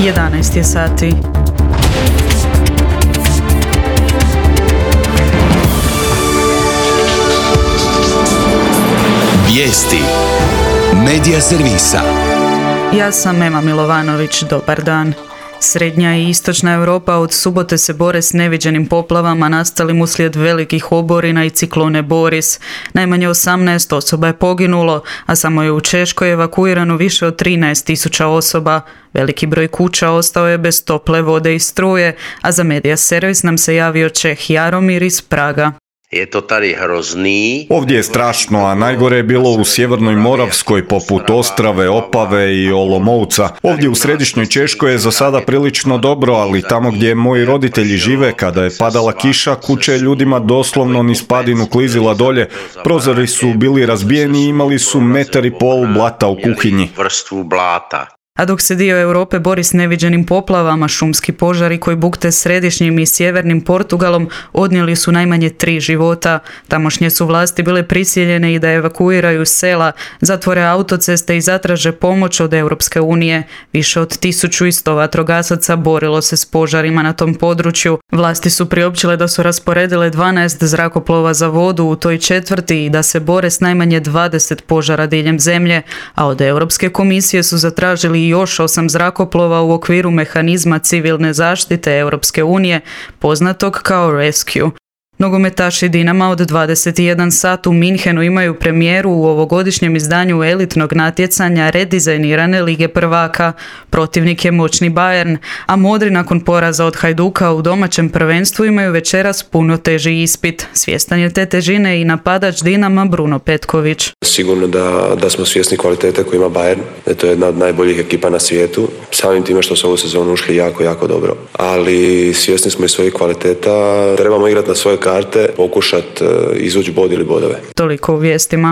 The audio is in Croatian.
11 je sati. Vijesti Medija servisa. Ja sam Ema Milovanović, dobar dan. Srednja i istočna Europa od subote se bore s neviđenim poplavama nastalim uslijed velikih oborina i ciklone Boris. Najmanje 18 osoba je poginulo, a samo je u Češkoj evakuirano više od 13.000 osoba. Veliki broj kuća ostao je bez tople vode i struje, a za Medija servis nam se javio Čeh Jaromir iz Praga. Je to tady hrozný. Ovdje je strašno, a najgore je bilo u sjevernoj Moravskoj poput Ostrave, Opave i Olomovca. Ovdje u središnjoj Češkoj je za sada prilično dobro, ali tamo gdje moji roditelji žive, kada je padala kiša, kuća je ljudima doslovno niz padinu klizila dolje. Prozori su bili razbijeni i imali su 1,5 m blata u kuhinji. Vrstvu blata. A dok se dio Europe bori s neviđenim poplavama, šumski požari koji bukte središnjim i sjevernim Portugalom odnijeli su najmanje 3 života. Tamošnje su vlasti bile prisiljene i da evakuiraju sela, zatvore autoceste i zatraže pomoć od Europske unije. Više od 1100 vatrogasaca borilo se s požarima na tom području. Vlasti su priopćile da su rasporedile 12 zrakoplova za vodu u toj četvrti i da se bore s najmanje 20 požara diljem zemlje, a od Europske komisije su zatražili još 8 zrakoplova u okviru mehanizma civilne zaštite Europske unije, poznatog kao Rescue. Nogometaši Dinama od 21 sat u Minhenu imaju premijeru u ovogodišnjem izdanju elitnog natjecanja redizajnirane Lige prvaka. Protivnik je moćni Bayern, a modri nakon poraza od Hajduka u domaćem prvenstvu imaju večeras puno teži ispit. Svjestan je te težine i napadač Dinama Bruno Petković. Sigurno da smo svjesni kvalitete koju ima Bayern, da je to jedna od najboljih ekipa na svijetu. Samim time što su ovu sezonu ušli jako dobro. Ali svjesni smo i svojih kvaliteta, trebamo igrati na svoje karte, pokušati izvući bod ili bodove. Toliko u vijestima.